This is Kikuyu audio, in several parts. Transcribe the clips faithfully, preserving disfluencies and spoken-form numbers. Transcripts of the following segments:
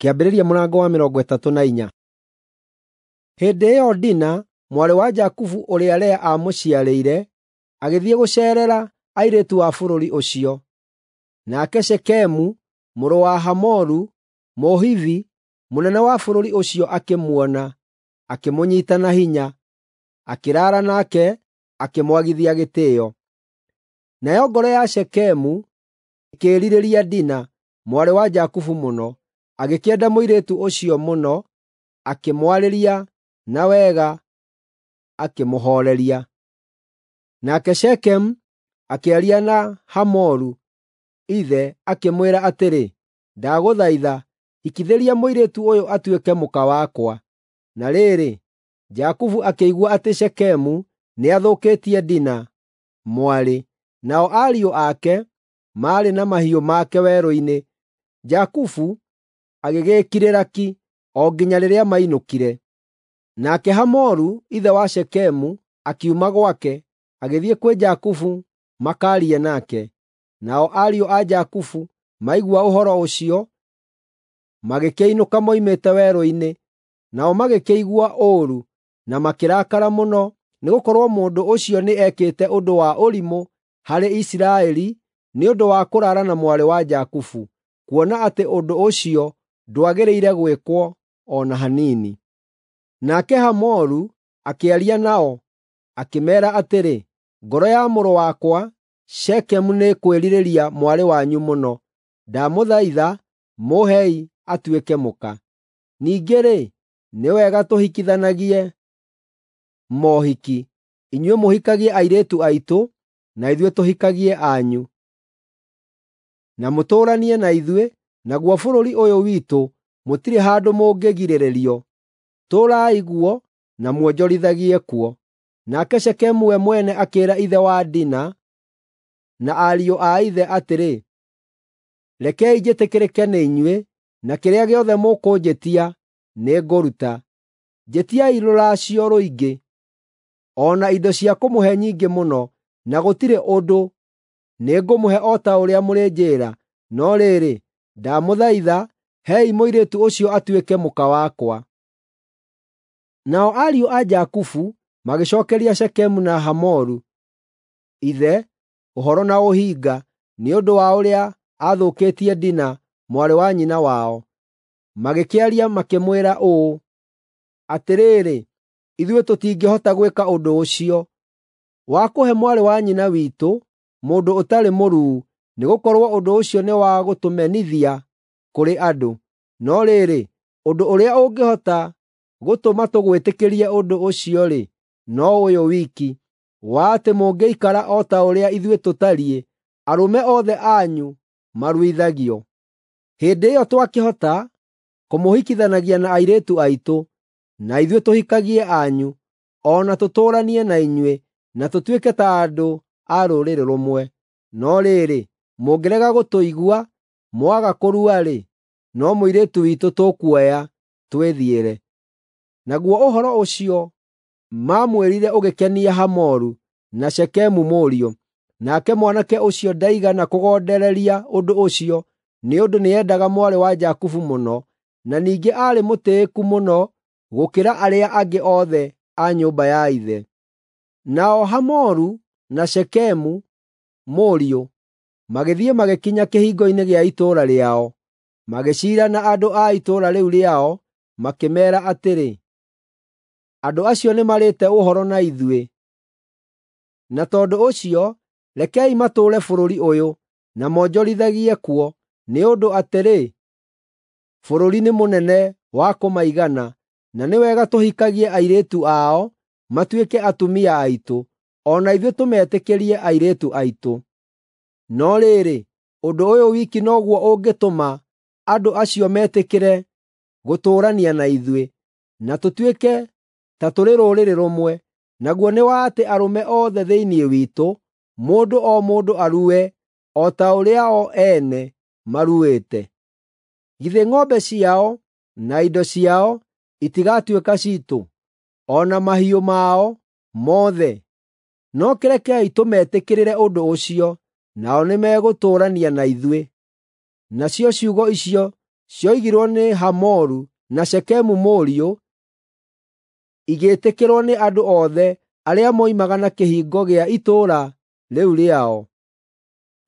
Kĩambĩrĩria mũrango wa mĩrongo ĩtatũ na inya. Hĩndĩ ĩyo Dina, mwarĩ wa Jakubu ũrĩa Lea aamũciarĩire, agĩthiĩ gũceerera airĩtu a bũrũri ũcio. Nake Shekemu mũrũ wa Hamoru, Mũhivi, mũnene wa bũrũri ũcio akĩmuona, akĩmũnyiita na hinya, akĩraara nake, akĩmwagithia gĩtĩĩo. Nayo ngoro ya Shekemu ĩkĩĩrirĩria Dina, mwarĩ wa Jakubu mũno, agĩkĩenda mũirĩtu ũcio mũno, akĩmwarĩria na wega, akĩmũhooreria. Nake Shekemu akĩaria na Hamoru ithe, akĩmwĩra atĩrĩ, “Ndagũthaitha, hikithĩria mũirĩtu ũyũ atuĩke mũka wakwa.” Na rĩrĩ, Jakubu akĩigua atĩ Shekemu nĩathũkĩtie Dina, mwarĩ, nao ariũ ake maarĩ na mahiũ make werũ-inĩ. Jakubu agĩgĩĩkirĩra ki o nginya rĩrĩa mainũkire. Nake Hamoru ithe wa Shekemu akiuma gwake, agĩthiĩ kwĩ Jakubu makaarie nake. Nao ariũ a Jakubu maigua ũhoro ũcio, magĩkĩinũka moimĩte werũ-inĩ, nao magĩkĩigua ũũru na makĩrakara mũno, nĩgũkorwo mũndũ ũcio nĩ ekĩte ũndũ wa ũrimũ harĩ Isiraeli nĩ ũndũ wa kũraara na mwarĩ wa Jakubu, kuona atĩ ũndũ ũcio ndwagĩrĩire gwĩkwo o na hanini. Nake Hamoru akĩaria nao, akĩmeera atĩrĩ, “Ngoro ya mũrũ wakwa Shekemu nĩĩkwĩrirĩria mwarĩ wanyu mũno. Ndamũthaitha mũhei atuĩke mũka. Ningĩ-rĩ, nĩ wega tũhikithanagie mohiki, inyuĩ mũhikagie airĩtu aitũ, na ithuĩ tũhikagie anyu. Na mũtũũranie na ithuĩ, naguo bũrũri ũyũ witũ mũtirĩ handũ mũngĩgirĩrĩrio. Tũũrai guo na muonjorithagie kuo.” Nake Shekemu we mwene akĩĩra ithe wa Dina na ariũ a ithe atĩrĩ, “Rekei njĩtĩkĩrĩke nĩ inyuĩ, na kĩrĩa gĩothe mũkũnjĩtia nĩngũruta. Njĩtiai rũracio rũingĩ, o na indo cia kũmũhe nyingĩ mũno, na gũtirĩ ũndũ. Nĩngũmũhe o ta ũrĩa mũrĩnjĩĩra. No rĩrĩ, ndamũthaitha, hei mũirĩtu ũcio atuĩke mũka wakwa.” Nao ariũ a Jakubu magĩcookeria Shekemu na Hamoru ithe ũhoro na ũhinga nĩ ũndũ wa ũrĩa aathũkĩtie Dina, mwarĩ wa nyina wao. Magĩkĩaria makĩmwĩra ũũ, “Atĩrĩrĩ, ithuĩ tũtingĩhota gwĩka ũndũ ũcio, wa kũhe mwarĩ wa nyina witũ mũndũ ũtarĩ mũruu, nĩgũkorwo ũndũ ũcio nĩ wa gũtũmenithia kũrĩ andũ. No rĩrĩ, ũndũ ũrĩa ũngĩhota gũtũma tũgwĩtĩkĩrie ũndũ ũcio-rĩ, no ũyũ wiki, wa atĩ mũngĩikara o ta ũrĩa ithuĩ tũtariĩ, arũme othe anyu maruithagio. Hĩndĩ ĩyo twakĩhota kũmũhikithanagia na airĩtu aitũ, na ithuĩ tũhikagie anyu, o na tũtũũranie na inyuĩ, na tũtuĩke ta andũ a rũrĩrĩ rũmwe. No rĩrĩ, mũngĩrega gũtũigua, mwaga kũrua-rĩ, no mũirĩtu witũ tũkuoya twĩthiĩre.” Naguo ũhoro ũcio maamwĩrire ũgĩkenia Hamoru na Shekemu mũriũ. Nake mwanake ũcio ndaigana kũgondereria ũndũ ũcio, nĩ ũndũ nĩendaga mwarĩ wa Jakubu mũno, na ningĩ aarĩ mũtĩĩku mũno gũkĩra arĩa angĩ othe a nyũmba ya ithe. Nao Hamoru na Shekemu mũriũ magĩthiĩ magĩkinya kĩhingo-inĩ gĩa itũũra rĩao, magĩciira na andũ a itũũra rĩu rĩao, makĩmeera atĩrĩ, “Andũ acio nĩmarĩte ũhoro na ithuĩ, na tondũ ũcio rekei matũũre bũrũri ũyũ, na monjorithagie kuo, nĩ ũndũ atĩrĩ, bũrũri nĩ mũnene wa kũmaigana, na nĩ wega tũhikagie airĩtu ao matuĩke atumia aitũ, o na ithuĩ tũmetĩkĩrie airĩtu aitũ. No rĩrĩ, ũndũ ũyũ wiki noguo ũngĩtũma andũ acio metĩkĩre gũtũũrania na ithuĩ, na tũtuĩke ta tũrĩ rũrĩrĩ rũmwe, naguo nĩ wa atĩ arũme othe thĩinĩ witũ, mũndũ o mũndũ arue o ta ũrĩa o ene maruĩte. Githĩ ng'ombe ciao na indo ciao itigatuĩka ciitũ, o na mahiũ mao mothe? No kĩrekei tũmetĩkĩrĩre ũndũ ũcio, nao nĩmegũtũũrania na ithuĩ.” Nacio ciugo icio cioigirwo nĩ Hamoru na Shekemu mũriũ igĩtĩkĩrwo nĩ andũ othe arĩa moimaga na kĩhingo gĩa itũũra rĩu rĩao.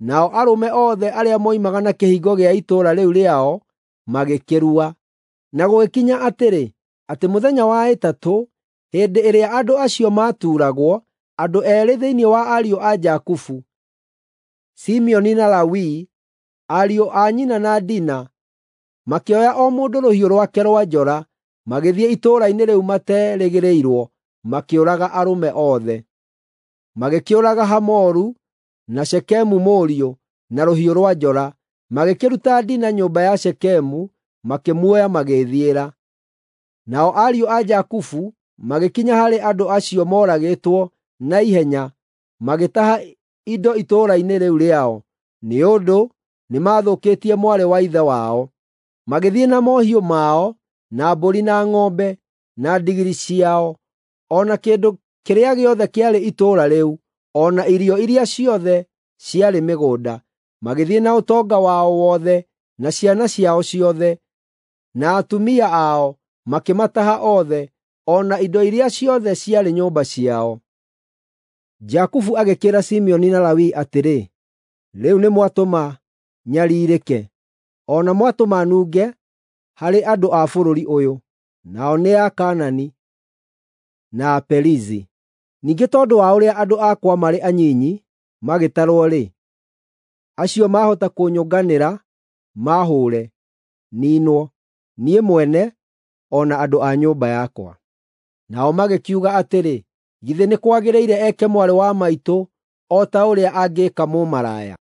Nao arũme othe arĩa moimaga na kĩhingo gĩa itũũra rĩu rĩao magĩkĩrua. Na gũgĩkinya atĩrĩ, atĩ mũthenya wa ĩtatũ, hĩndĩ ĩrĩa andũ acio maatuuragwo, andũ eerĩ thĩinĩ wa ariũ a Jakubu, Simeoni na Lawi, ariũ a nyina na Dina, makĩoya o mũndũ rũhiũ rwake rwa njora, magĩthiĩ itũũra-inĩ rĩu materĩgĩrĩirwo, makĩũraga arũme othe. Magĩkĩũraga Hamoru na Shekemu mũriũ na rũhiũ rwa njora, magĩkĩruta Dina nyũmba ya Shekemu, makĩmuoya magĩĩthiĩra. Nao ariũ a Jakubu magĩkinya harĩ andũ acio moragĩtwo na ihenya, magĩtaha indo itũũra-inĩ rĩu rĩao, nĩ ũndũ nĩmathũkĩtie mwarĩ wa ithe wao. Magĩthiĩ na mohiũ mao, na mbũri na ng'ombe, na ndigiri ciao, o na kĩndũ kĩrĩa gĩothe kĩarĩ itũũra rĩu, o na irio iria ciothe ciarĩ mĩgũnda. Magĩthiĩ na ũtonga wao wothe, na ciana ciao ciothe, na atumia ao, makĩmataha othe, o na indo iria ciothe ciarĩ nyũmba ciao. Jakubu agĩkĩĩra Simeoni na Lawi atĩrĩ, “Rĩu nĩmwatũma nyariirĩke, o na mwatũma nunge harĩ andũ a bũrũri ũyũ, nao nĩ Akaanani na Aperizi. Ningĩ tondũ wa ũrĩa andũ akwa marĩ anyinyi magĩtarwo-rĩ, acio maahota kũnyũnganĩra maahũũre, niinwo, niĩ mwene o na andũ a nyũmba yakwa.” Nao magĩkiuga atĩrĩ, “Githĩ nĩ kwagĩrĩire eke mwarĩ wa maitũ o ta ũrĩa angĩĩka mũmaraya?”